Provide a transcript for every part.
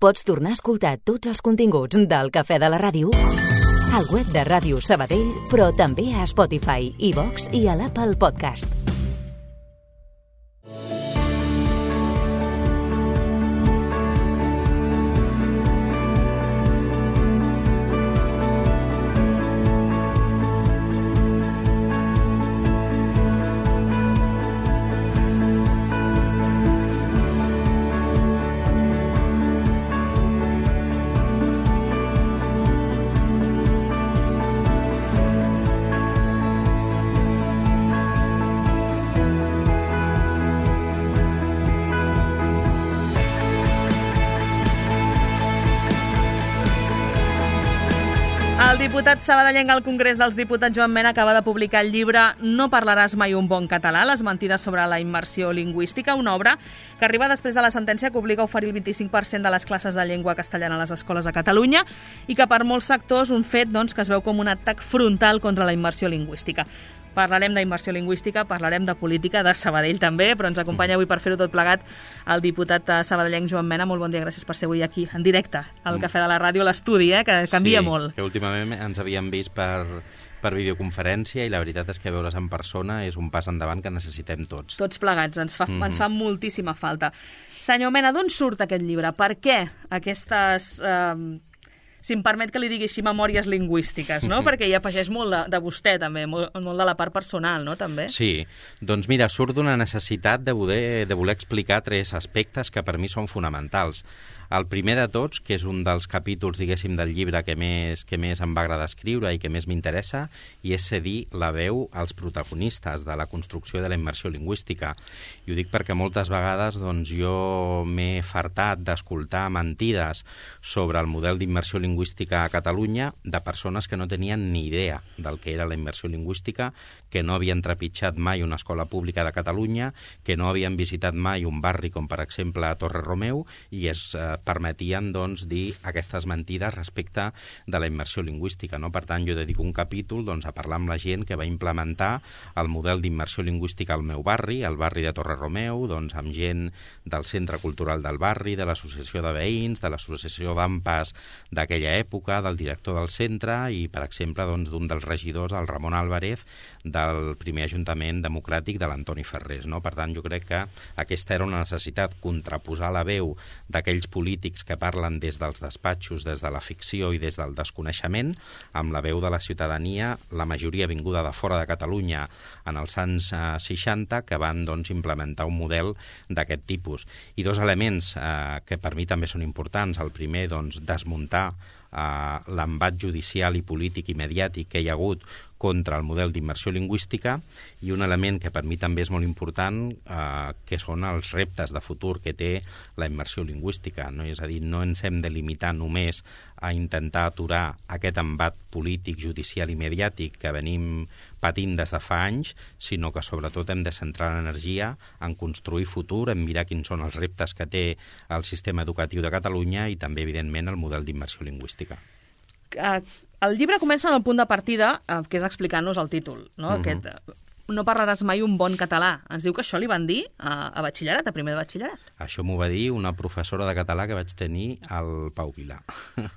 Pots tornar a escoltar tots els continguts del Cafè de la Ràdio al web de Ràdio Sabadell, però també a Spotify, iVox i a l'Apple Podcast. El diputat sabadellenc al Congrés dels Diputats, Joan Mena, acaba de publicar el llibre No parlaràs mai un bon català, les mentides sobre la immersió lingüística, una obra que arriba després de la sentència que obliga a oferir el 25% de les classes de llengua castellana a les escoles a Catalunya i que per molts sectors un fet que es veu com un atac frontal contra la immersió lingüística. Parlarem d'immersió lingüística, parlarem de política, de Sabadell també, però ens acompanya avui per fer-ho tot plegat el diputat sabadellenc Joan Mena. Molt bon dia, gràcies per ser avui aquí, en directe, al Cafè de la Ràdio, a l'estudi, que canvia molt. Sí, que últimament ens havíem vist per videoconferència i la veritat és que veure's en persona és un pas endavant que necessitem tots. Tots plegats, ens fa moltíssima falta. Senyor Mena, d'on surt aquest llibre? Per què aquestes... si em permet que li digui així, memòries lingüístiques, no? Perquè hi afegeix molt de vostè, també, molt de la part personal, no?, també. Sí, doncs mira, surt d'una necessitat de voler explicar tres aspectes que per mi són fonamentals. El primer de tots, que és un dels capítols, diguéssim, del llibre que més em va agradar escriure i que més m'interessa, i és cedir la veu als protagonistes de la construcció de la immersió lingüística. I ho dic perquè moltes vegades jo m'he fartat d'escoltar mentides sobre el model d'immersió lingüística a Catalunya de persones que no tenien ni idea del que era la immersió lingüística, que no havien trepitjat mai una escola pública de Catalunya, que no havien visitat mai un barri com, per exemple, a Torre Romeu, i es permetien dir aquestes mentides respecte de la immersió lingüística, no? Per tant, jo dedico un capítol a parlar amb la gent que va implementar el model d'immersió lingüística al meu barri, al barri de Torre Romeu, amb gent del Centre Cultural del barri, de l'Associació de Veïns, de l'Associació d'AMPAs d'aquella època, del director del centre i, per exemple, d'un dels regidors, el Ramon Álvarez, del primer Ajuntament Democràtic de l'Antoni Ferrés, no? Per tant, jo crec que aquesta era una necessitat, contraposar la veu d'aquells polítics que parlen des dels despatxos, des de la ficció i des del desconeixement, amb la veu de la ciutadania, la majoria vinguda de fora de Catalunya en els anys 60, que van implementar un model d'aquest tipus. I dos elements que per mi també són importants. El primer, desmuntar l'embat judicial i polític i mediàtic que hi ha hagut contra el model d'immersió lingüística, i un element que per mi també és molt important, que són els reptes de futur que té la immersió lingüística, no? És a dir, no ens hem de limitar només a intentar aturar aquest embat polític, judicial i mediàtic que venim patint des de fa anys, sinó que sobretot hem de centrar l'energia en construir futur, en mirar quins són els reptes que té el sistema educatiu de Catalunya i també, evidentment, el model d'immersió lingüística. El llibre comença en el punt de partida, que és explicant-nos el títol, no? Aquest, no parlaràs mai un bon català. Ens diu que això li van dir a batxillerat, a primer de batxillerat. Això m'ho va dir una professora de català que vaig tenir al Pau Vilà.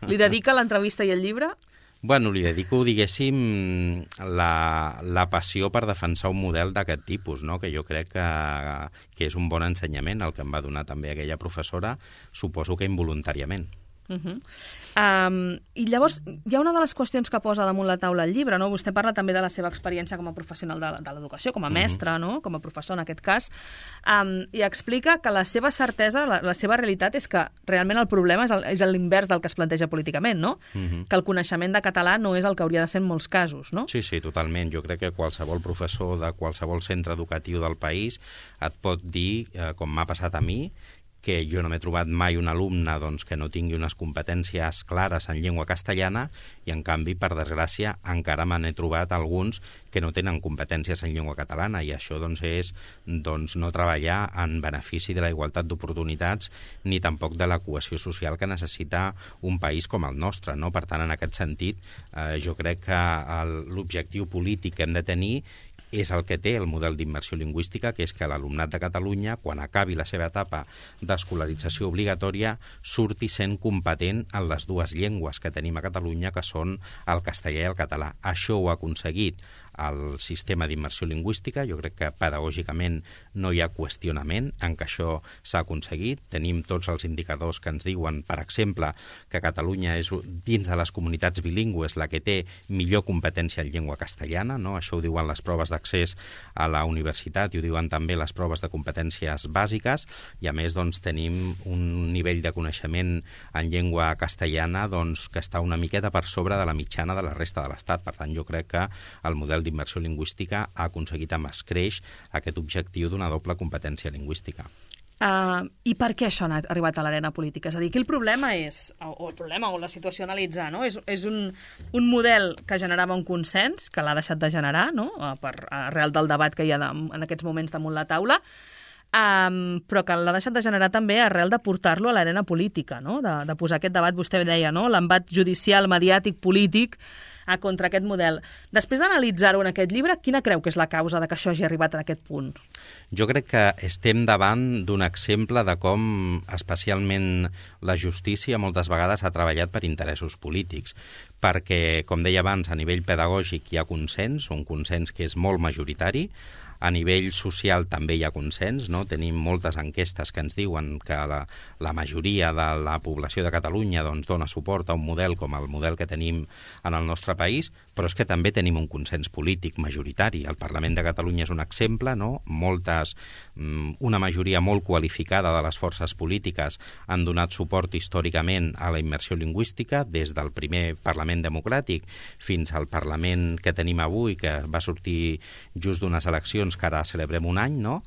Li dedica l'entrevista i el llibre? Bueno, li dedico, diguéssim, la passió per defensar un model d'aquest tipus, no? Que jo crec que és un bon ensenyament, el que em va donar també aquella professora, suposo que involuntàriament. I llavors hi ha una de les qüestions que posa damunt la taula el llibre, no? Vostè parla també de la seva experiència com a professional de l'educació, com a mestre, no? Com a professor en aquest cas, i explica que la seva certesa, la seva realitat és que realment el problema és l'invers del que es planteja políticament, no? Que el coneixement de català no és el que hauria de ser en molts casos, no? Sí, totalment. Jo crec que qualsevol professor de qualsevol centre educatiu del país et pot dir, com m'ha passat a mi, que jo no m'he trobat mai un alumne que no tingui unes competències clares en llengua castellana i, en canvi, per desgràcia, encara me n'he trobat alguns que no tenen competències en llengua catalana, i això és no treballar en benefici de la igualtat d'oportunitats ni tampoc de la cohesió social que necessita un país com el nostre, no? Per tant, en aquest sentit, jo crec que l'objectiu polític que hem de tenir és el que té el model d'immersió lingüística, que és que l'alumnat de Catalunya, quan acabi la seva etapa d'escolarització obligatòria, surti sent competent en les dues llengües que tenim a Catalunya, que són el castellà i el català. Això ho ha aconseguit el sistema d'immersió lingüística. Jo crec que pedagògicament no hi ha qüestionament en que això s'ha aconseguit. Tenim tots els indicadors que ens diuen, per exemple, que Catalunya és dins de les comunitats bilingües la que té millor competència en llengua castellana, no? Això ho diuen les proves d'accés a la universitat i ho diuen també les proves de competències bàsiques, i a més doncs, tenim un nivell de coneixement en llengua castellana doncs, que està una miqueta per sobre de la mitjana de la resta de l'Estat. Per tant, jo crec que el model d'immersió lingüística ha aconseguit amb escreix aquest objectiu d'una doble competència lingüística. I per què això ha arribat a l'arena política? És a dir, aquí el problema és, o la situació a analitzar, no? És un model que generava un consens, que l'ha deixat de generar, no? Arrel del debat que hi ha en aquests moments damunt la taula, però que l'ha deixat de generar també arrel de portar-lo a l'arena política, no? De posar aquest debat, vostè deia, no? L'embat judicial, mediàtic, polític, contra aquest model. Després d'analitzar-ho en aquest llibre, quina creu que és la causa de que això hagi arribat a aquest punt? Jo crec que estem davant d'un exemple de com especialment la justícia moltes vegades ha treballat per interessos polítics, perquè, com deia abans, a nivell pedagògic hi ha consens, un consens que és molt majoritari. A nivell social també hi ha consens, no? Tenim moltes enquestes que ens diuen que la majoria de la població de Catalunya doncs, dona suport a un model com el model que tenim en el nostre país, però és que també tenim un consens polític majoritari. El Parlament de Catalunya és un exemple, no? Una majoria molt qualificada de les forces polítiques han donat suport històricament a la immersió lingüística, des del primer Parlament democràtic fins al Parlament que tenim avui, que va sortir just d'unes eleccions que ara celebrem un any, no?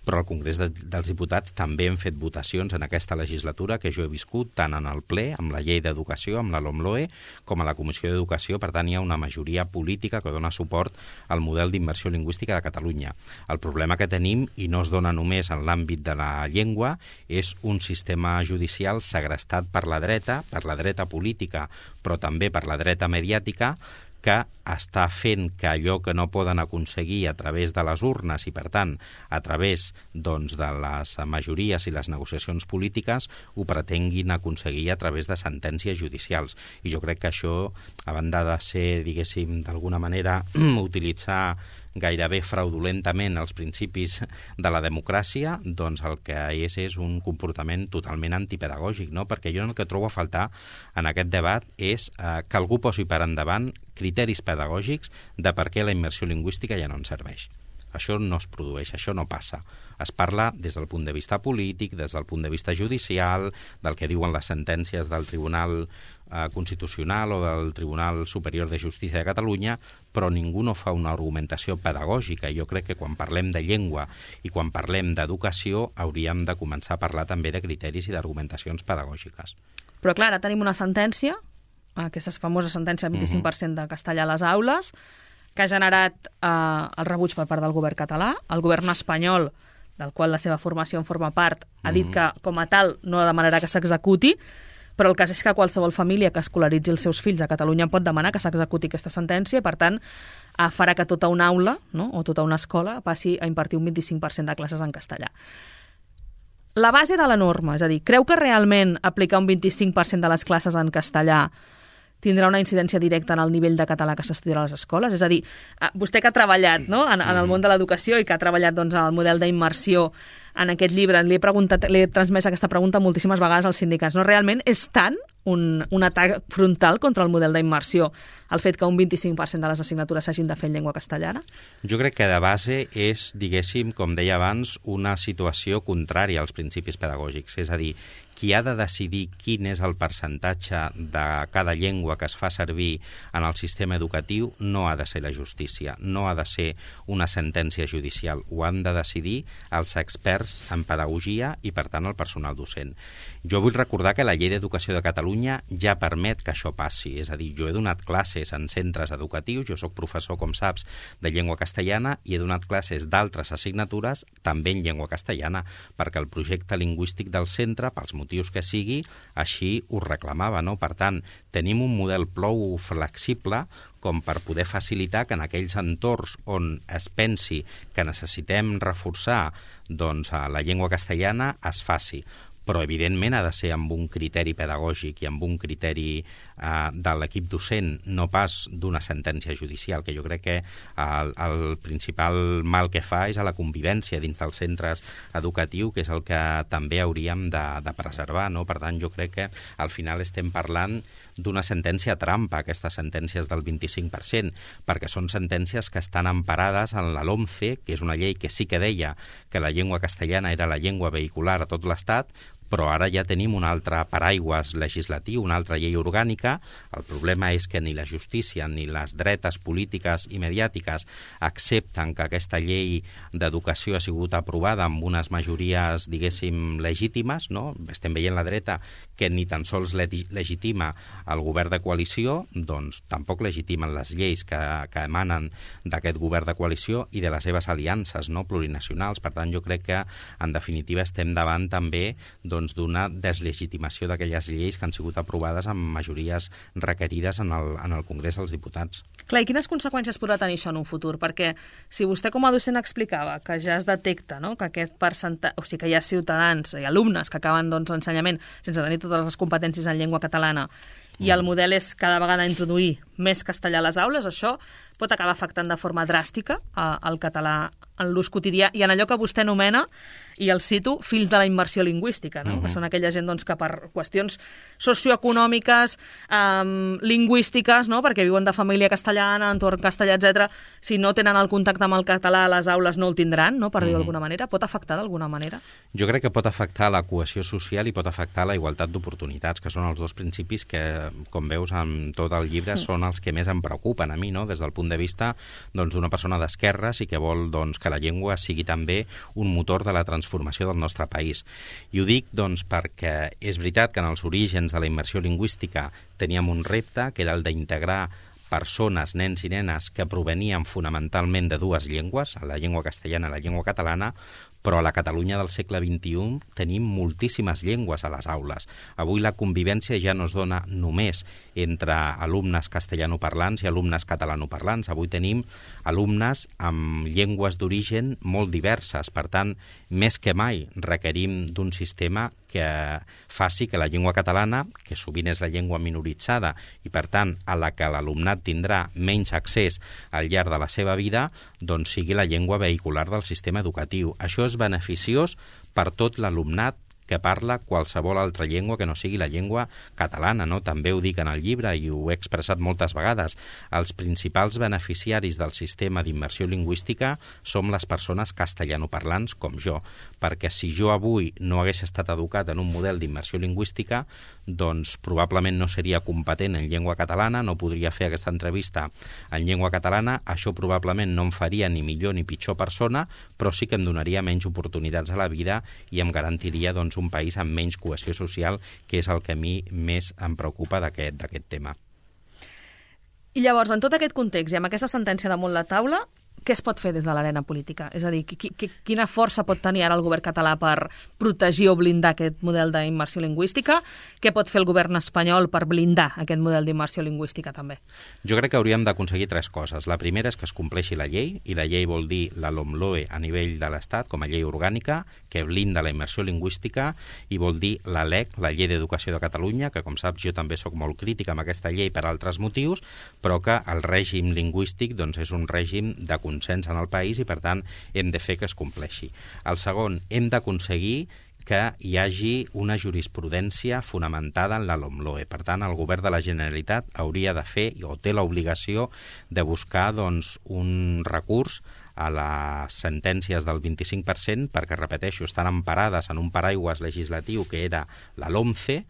Però al Congrés dels Diputats també hem fet votacions en aquesta legislatura que jo he viscut tant en el ple, amb la llei d'educació, amb la LOMLOE, com a la Comissió d'Educació. Per tant, hi ha una majoria política que dona suport al model d'immersió lingüística de Catalunya. El problema que tenim, i no es dona només en l'àmbit de la llengua, és un sistema judicial segrestat per la dreta política, però també per la dreta mediàtica, que està fent que allò que no poden aconseguir a través de les urnes i, per tant, a través doncs, de les majories i les negociacions polítiques, ho pretenguin aconseguir a través de sentències judicials. I jo crec que això, a banda de ser, diguéssim, d'alguna manera, utilitzar gairebé fraudulentament els principis de la democràcia, doncs el que és un comportament totalment antipedagògic, no? Perquè jo el que trobo a faltar en aquest debat és que algú posi per endavant criteris pedagògics de per què la immersió lingüística ja no ens serveix. Això no es produeix, això no passa. Es parla des del punt de vista polític, des del punt de vista judicial, del que diuen les sentències del Tribunal Constitucional o del Tribunal Superior de Justícia de Catalunya, però ningú no fa una argumentació pedagògica. Jo crec que quan parlem de llengua i quan parlem d'educació hauríem de començar a parlar també de criteris i d'argumentacions pedagògiques. Però clar, ara tenim una sentència, aquesta famosa sentència del 25% de castellà a les aules, que ha generat el rebuig per part del govern català. El govern espanyol, del qual la seva formació en forma part, ha dit que, com a tal, no demanarà que s'executi, però el cas és que qualsevol família que escolaritzi els seus fills a Catalunya pot demanar que s'executi aquesta sentència i, per tant, farà que tota una aula, no? O tota una escola passi a impartir un 25% de classes en castellà. La base de la norma, és a dir, creu que realment aplicar un 25% de les classes en castellà tindrà una incidència directa en el nivell de català que s'estudiarà a les escoles? És a dir, vostè que ha treballat, no? en el món de l'educació i que ha treballat doncs, en el model d'immersió en aquest llibre, li he transmès aquesta pregunta moltíssimes vegades als sindicats. No? Realment és tant un atac frontal contra el model d'immersió el fet que un 25% de les assignatures s'hagin de fer en llengua castellana? Jo crec que de base és, diguéssim, com deia abans, una situació contrària als principis pedagògics. És a dir, qui ha de decidir quin és el percentatge de cada llengua que es fa servir en el sistema educatiu no ha de ser la justícia, no ha de ser una sentència judicial. Ho han de decidir els experts en pedagogia i, per tant, el personal docent. Jo vull recordar que la Llei d'Educació de Catalunya ja permet que això passi. És a dir, jo he donat classes en centres educatius, jo soc professor, com saps, de llengua castellana i he donat classes d'altres assignatures també en llengua castellana, perquè el projecte lingüístic del centre, pels motius motius que sigui, així ho reclamava, no? Per tant, tenim un model prou flexible com per poder facilitar que en aquells entorns on es pensi que necessitem reforçar doncs, la llengua castellana es faci. Però, evidentment, ha de ser amb un criteri pedagògic i amb un criteri de l'equip docent, no pas d'una sentència judicial, que jo crec que el principal mal que fa és a la convivència dins dels centres educatius, que és el que també hauríem de preservar, no? Per tant, jo crec que al final estem parlant d'una sentència trampa, aquestes sentències del 25%, perquè són sentències que estan emparades en la LOMCE, que és una llei que sí que deia que la llengua castellana era la llengua vehicular a tot l'Estat, però ara ja tenim un altre paraigües legislatiu, una altra llei orgànica. El problema és que ni la justícia ni les dretes polítiques i mediàtiques accepten que aquesta llei d'educació ha sigut aprovada amb unes majories, diguéssim, legítimes, no? Estem veient la dreta que ni tan sols legitima el govern de coalició, doncs tampoc legitimen les lleis que emanen d'aquest govern de coalició i de les seves aliances, no, plurinacionals. Per tant, jo crec que, en definitiva, estem davant també d'una deslegitimació d'aquelles lleis que han sigut aprovades amb majories requerides en el Congrés dels Diputats. Clar, i quines conseqüències podrà tenir això en un futur? Perquè si vostè com a docent explicava que ja es detecta, no?, que aquest percentatge, o sigui, que hi ha ciutadans i alumnes que acaben l'ensenyament sense tenir totes les competències en llengua catalana i el model és cada vegada introduir més castellà a les aules, això pot acabar afectant de forma dràstica el català en l'ús quotidià i en allò que vostè anomena, i el cito, fills de la immersió lingüística, no? Que són aquella gent doncs, que per qüestions socioeconòmiques, lingüístiques, no?, perquè viuen de família castellana, entorn castellà, etc., si no tenen el contacte amb el català a les aules no el tindran, no?, per dir-ho d'alguna manera. Pot afectar d'alguna manera? Jo crec que pot afectar la cohesió social i pot afectar la igualtat d'oportunitats, que són els dos principis que, com veus, en tot el llibre són els que més em preocupen a mi, no?, des del punt de vista d'una persona d'esquerres i que vol que la llengua sigui també un motor de la transformació del nostre país. I ho dic perquè és veritat que en els orígens de la immersió lingüística teníem un repte, que era el d'integrar persones, nens i nenes, que provenien fonamentalment de dues llengües, la llengua castellana i la llengua catalana, però a la Catalunya del segle XXI tenim moltíssimes llengües a les aules. Avui la convivència ja no es dona només entre alumnes castellanoparlants i alumnes catalanoparlants. Avui tenim alumnes amb llengües d'origen molt diverses. Per tant, més que mai requerim d'un sistema que faci que la llengua catalana, que sovint és la llengua minoritzada i, per tant, a la que l'alumnat tindrà menys accés al llarg de la seva vida, doncs sigui la llengua vehicular del sistema educatiu. Això és beneficiós per tot l'alumnat que parla qualsevol altra llengua que no sigui la llengua catalana, no? També ho dic en el llibre i ho he expressat moltes vegades. Els principals beneficiaris del sistema d'immersió lingüística som les persones castellanoparlants com jo, perquè si jo avui no hagués estat educat en un model d'immersió lingüística, doncs probablement no seria competent en llengua catalana, no podria fer aquesta entrevista en llengua catalana, això probablement no em faria ni millor ni pitjor persona, però sí que em donaria menys oportunitats a la vida i em garantiria un país amb menys cohesió social, que és el que a mi més em preocupa d'aquest tema. I llavors, en tot aquest context i amb aquesta sentència damunt la taula, què es pot fer des de l'arena política? És a dir, quina força pot tenir ara el govern català per protegir o blindar aquest model d'immersió lingüística? Què pot fer el govern espanyol per blindar aquest model d'immersió lingüística també? Jo crec que hauríem d'aconseguir tres coses. La primera és que es compleixi la llei, i la llei vol dir la LOMLOE a nivell de l'Estat com a llei orgànica, que blinda la immersió lingüística, i vol dir la LEC, la Llei d'Educació de Catalunya, que com saps jo també sóc molt crític amb aquesta llei per altres motius, però que el règim lingüístic és un règim de consens en el país i, per tant, hem de fer que es compleixi. El segon, hem d'aconseguir que hi hagi una jurisprudència fonamentada en la LOMLOE. Per tant, el govern de la Generalitat hauria de fer, o té l'obligació, de buscar un recurs a les sentències del 25%, perquè, repeteixo, estan emparades en un paraigües legislatiu que era la LOMCE,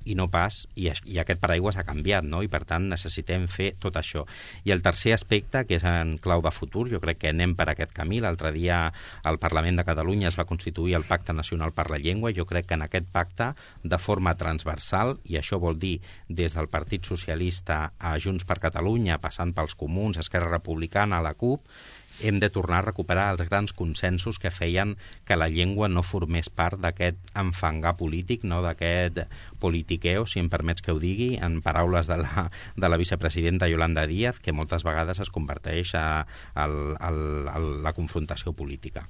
i no pas, i aquest paraigües ha canviat, no? I per tant necessitem fer tot això. I el tercer aspecte, que és en clau de futur, jo crec que anem per aquest camí. L'altre dia al Parlament de Catalunya es va constituir el Pacte Nacional per la Llengua, i jo crec que en aquest pacte, de forma transversal, i això vol dir des del Partit Socialista a Junts per Catalunya, passant pels Comuns, Esquerra Republicana, a la CUP, hem de tornar a recuperar els grans consensos que feien que la llengua no formés part d'aquest enfangar polític, no, d'aquest politiqueo, si em permets que ho digui, en paraules de la vicepresidenta Yolanda Díaz, que moltes vegades es converteix a la confrontació política.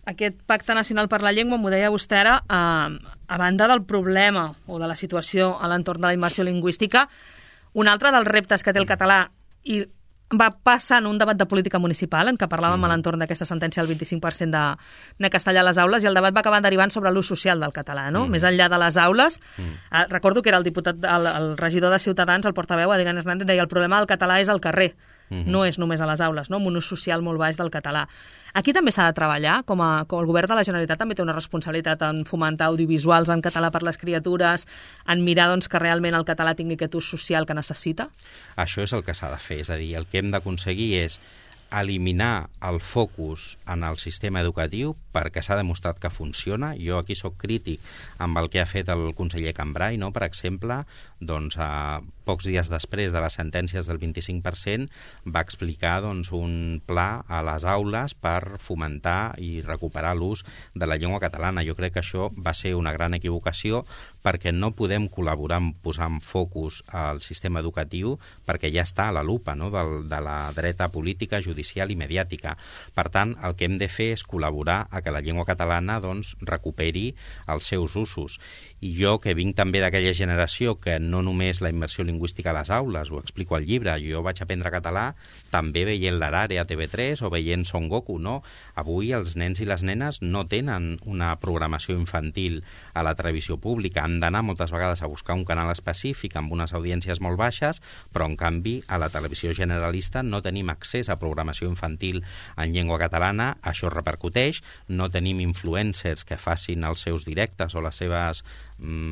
Aquest Pacte Nacional per la Llengua, m'ho deia vostè ara, a banda del problema o de la situació a l'entorn de la immersió lingüística, un altre dels reptes que té el català i va passar en un debat de política municipal en què parlàvem a l'entorn d'aquesta sentència del 25% de castellà a les aules, i el debat va acabar derivant sobre l'ús social del català, no? Més enllà de les aules. Recordo que era el regidor de Ciutadans, el portaveu, Adrián Hernández, deia el problema del català és al carrer, no és només a les aules, no? Amb un ús social molt baix del català. Aquí també s'ha de treballar, com el govern de la Generalitat també té una responsabilitat en fomentar audiovisuals en català per les criatures, en mirar que realment el català tingui aquest ús social que necessita? Això és el que s'ha de fer, és a dir, el que hem d'aconseguir és eliminar el focus en el sistema educatiu perquè s'ha demostrat que funciona. Jo aquí sóc crític amb el que ha fet el conseller Cambray, no? Per exemple, pocs dies després de les sentències del 25% va explicar un pla a les aules per fomentar i recuperar l'ús de la llengua catalana. Jo crec que això va ser una gran equivocació perquè no podem col·laborar en posar en focus al sistema educatiu perquè ja està a la lupa, no? de la dreta política, judicial i mediàtica. Per tant, el que hem de fer és col·laborar a que la llengua catalana recuperi els seus usos. I jo, que vinc també d'aquella generació que no només la immersió lingüística a les aules, ho explico al llibre, jo vaig aprendre català també veient l'Arare a TV3 o veient Son Goku, no? Avui els nens i les nenes no tenen una programació infantil a la televisió pública, han d'anar moltes vegades a buscar un canal específic amb unes audiències molt baixes, però en canvi a la televisió generalista no tenim accés a programació infantil en llengua catalana, això repercuteix, no tenim influencers que facin els seus directes o les seves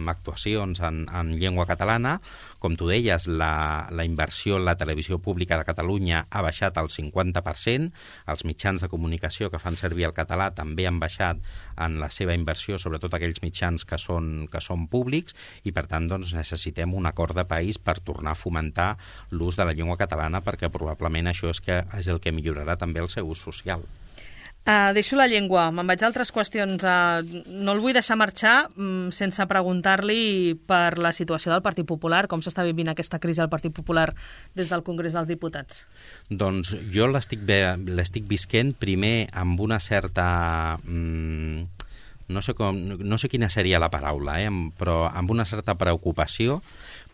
actuacions en llengua catalana. Com tu deies, la inversió en la televisió pública de Catalunya ha baixat al 50%, els mitjans de comunicació que fan servir el català també han baixat en la seva inversió, sobretot aquells mitjans que són públics, i per tant necessitem un acord de país per tornar a fomentar l'ús de la llengua catalana, perquè probablement això és el que millorarà també el seu ús social. Deixo la llengua, me'n vaig a altres qüestions. No el vull deixar marxar sense preguntar-li per la situació del Partit Popular, com s'està vivint aquesta crisi al Partit Popular des del Congrés dels Diputats. Doncs jo l'estic visquent primer amb una certa... No sé quina seria la paraula, però amb una certa preocupació,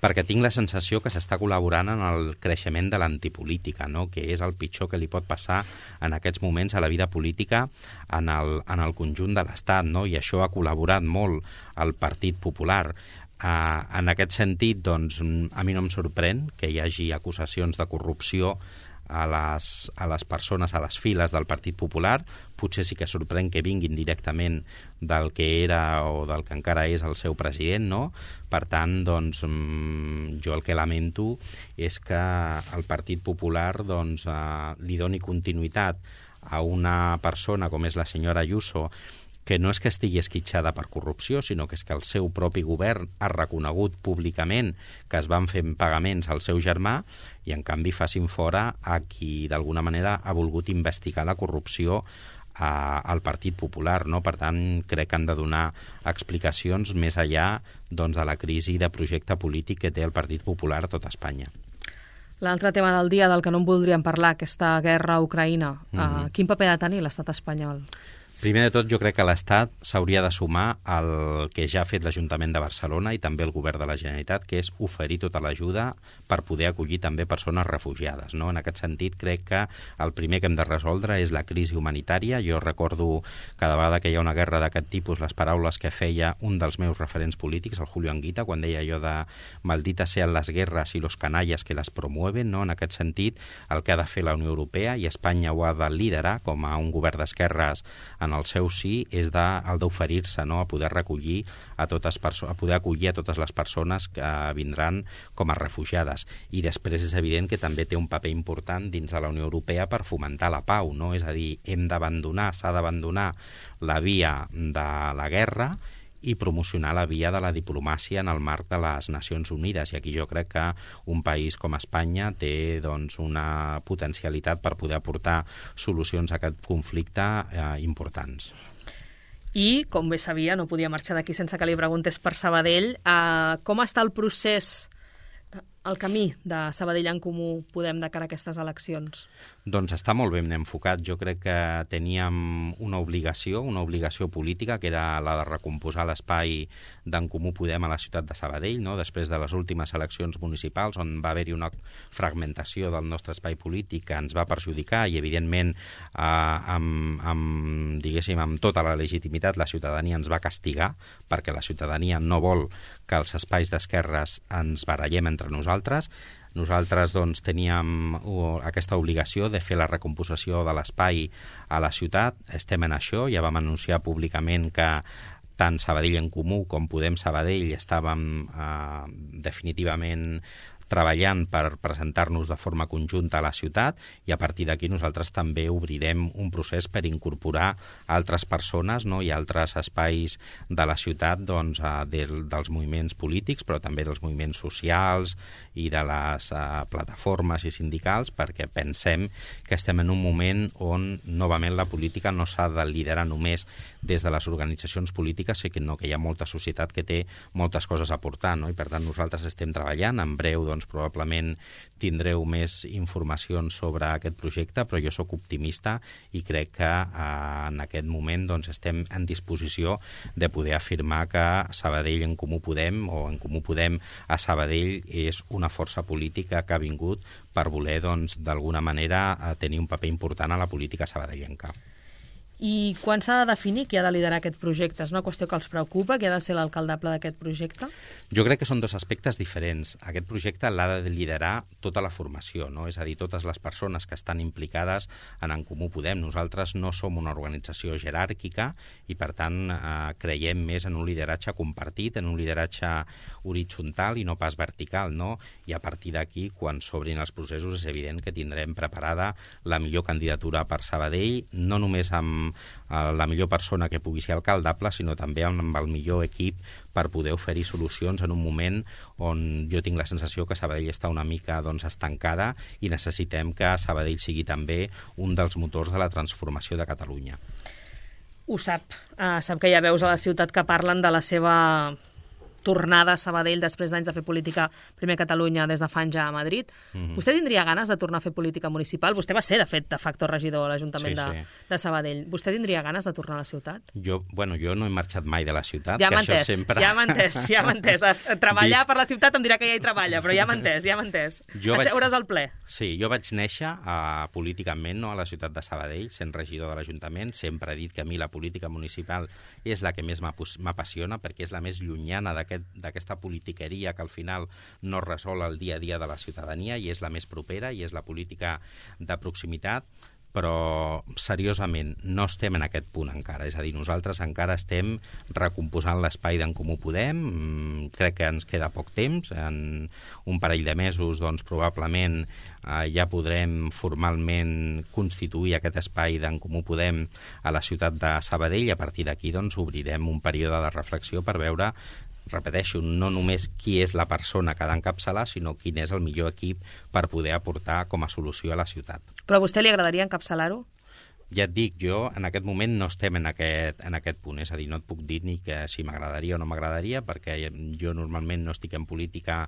perquè tinc la sensació que s'està col·laborant en el creixement de l'antipolítica, no? Que és el pitjor que li pot passar en aquests moments a la vida política en el conjunt de l'Estat, no? I això ha col·laborat molt al Partit Popular. En aquest sentit, doncs, a mi no em sorprèn que hi hagi acusacions de corrupció a les persones, a les files del Partit Popular. Potser sí que sorprèn que vinguin directament del que era o del que encara és el seu president, no? Per tant, doncs, jo el que lamento és que el Partit Popular li doni continuïtat a una persona com és la senyora Ayuso, que no és que estigui esquitxada per corrupció, sinó que és que el seu propi govern ha reconegut públicament que es van fer pagaments al seu germà i, en canvi, facin fora a qui, d'alguna manera, ha volgut investigar la corrupció al Partit Popular, no? Per tant, crec que han de donar explicacions més enllà de la crisi de projecte polític que té el Partit Popular a tot Espanya. L'altre tema del dia del que no en voldríem parlar, aquesta guerra a Ucraïna, quin paper ha de tenir l'estat espanyol? Primer de tot, jo crec que l'Estat s'hauria de sumar al que ja ha fet l'Ajuntament de Barcelona i també el Govern de la Generalitat, que és oferir tota l'ajuda per poder acollir també persones refugiades, no? En aquest sentit, crec que el primer que hem de resoldre és la crisi humanitària. Jo recordo cada vegada que hi ha una guerra d'aquest tipus les paraules que feia un dels meus referents polítics, el Julio Anguita, quan deia allò de malditas sean las guerras y los canallas que las promueven, no? En aquest sentit, el que ha de fer la Unió Europea, i Espanya ho ha de liderar com a un govern d'esquerres en el seu sí, és el d'oferir-se, no? A poder recollir a poder acollir a totes les persones que vindran com a refugiades. I després és evident que també té un paper important dins de la Unió Europea per fomentar la pau, no? És a dir, s'ha d'abandonar la via de la guerra i promocionar la via de la diplomàcia en el marc de les Nacions Unides. I aquí jo crec que un país com Espanya té doncs, una potencialitat per poder aportar solucions a aquest conflicte importants. I, com bé sabia, no podia marxar d'aquí sense que li preguntés per Sabadell. Com està el procés, el camí de Sabadell en Comú Podem de cara a aquestes eleccions? Doncs està molt ben enfocat. Jo crec que teníem una obligació política, que era la de recomposar l'espai d'en Comú Podem a la ciutat de Sabadell, no? Després de les últimes eleccions municipals, on va haver-hi una fragmentació del nostre espai polític que ens va perjudicar i, evidentment, amb tota la legitimitat, la ciutadania ens va castigar, perquè la ciutadania no vol que els espais d'esquerres ens barallem entre nosaltres. Nosaltres doncs, teníem aquesta obligació de fer la recomposició de l'espai a la ciutat. Estem en això, ja vam anunciar públicament que tant Sabadell en Comú com Podem Sabadell estàvem definitivament treballant per presentar-nos de forma conjunta a la ciutat, i a partir d'aquí nosaltres també obrirem un procés per incorporar altres persones, no? I altres espais de la ciutat doncs, dels moviments polítics, però també dels moviments socials i de les plataformes i sindicals, perquè pensem que estem en un moment on novament la política no s'ha de liderar només des de les organitzacions polítiques, sinó que hi ha molta societat que té moltes coses a aportar, no? I per tant nosaltres estem treballant. En breu doncs, probablement tindreu més informacions sobre aquest projecte, però jo sóc optimista i crec que en aquest moment doncs, estem en disposició de poder afirmar que Sabadell en Comú Podem o en Comú Podem a Sabadell és una força política que ha vingut per voler doncs, d'alguna manera tenir un paper important a la política sabadellenca. I quan s'ha de definir qui ha de liderar aquest projecte? És una qüestió que els preocupa? Qui ha de ser l'alcaldable d'aquest projecte? Jo crec que són dos aspectes diferents. Aquest projecte l'ha de liderar tota la formació, no? És a dir, totes les persones que estan implicades en Comú Podem. Nosaltres no som una organització jeràrquica i, per tant, creiem més en un lideratge compartit, en un lideratge horitzontal i no pas vertical, no? I a partir d'aquí, quan s'obrin els processos, és evident que tindrem preparada la millor candidatura per Sabadell, no només amb la millor persona que pugui ser alcaldable, sinó també amb el millor equip per poder oferir solucions en un moment on jo tinc la sensació que Sabadell està una mica doncs, estancada i necessitem que Sabadell sigui també un dels motors de la transformació de Catalunya. Ho sap. Sap que hi ha veus a la ciutat que parlen de la seva tornada a Sabadell després d'anys de fer política primer a Catalunya des de fa anys a Madrid. Vostè tindria ganes de tornar a fer política municipal? Vostè va ser, de fet, de facto regidor a l'Ajuntament de Sabadell. Vostè tindria ganes de tornar a la ciutat? Jo no he marxat mai de la ciutat. Ja m'ha entès. Treballar per la ciutat em dirà que ja hi treballa, però ja m'ha entès. Asseure's al ple. Sí, jo vaig néixer políticament, no, a la ciutat de Sabadell, sent regidor de l'Ajuntament. Sempre he dit que a mi la política municipal és la que més m'apassiona, perquè és la més llunyana d'aquesta politiqueria que al final no resol el dia a dia de la ciutadania i és la més propera i és la política de proximitat. Però, seriosament, no estem en aquest punt encara. És a dir, nosaltres encara estem recomposant l'espai d'en Comú Podem. Crec que ens queda poc temps. En un parell de mesos, doncs, probablement ja podrem formalment constituir aquest espai d'en Comú Podem a la ciutat de Sabadell i a partir d'aquí doncs, obrirem un període de reflexió per veure, repeteixo, no només qui és la persona que ha d'encapçalar, sinó quin és el millor equip per poder aportar com a solució a la ciutat. Però a vostè li agradaria encapçalar-ho? Ja et dic, jo en aquest moment no estem en aquest punt, és a dir, no et puc dir ni que si m'agradaria o no m'agradaria, perquè jo normalment no estic en política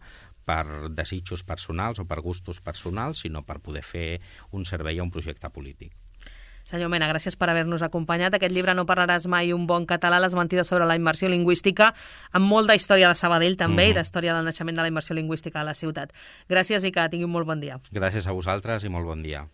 per desitjos personals o per gustos personals, sinó per poder fer un servei a un projecte polític. Senyor Mena, gràcies per haver-nos acompanyat. Aquest llibre No parlaràs mai un bon català, les mentides sobre la immersió lingüística, amb molta història de Sabadell també i d'història del naixement de la immersió lingüística a la ciutat. Gràcies i que tingui un molt bon dia. Gràcies a vosaltres i molt bon dia.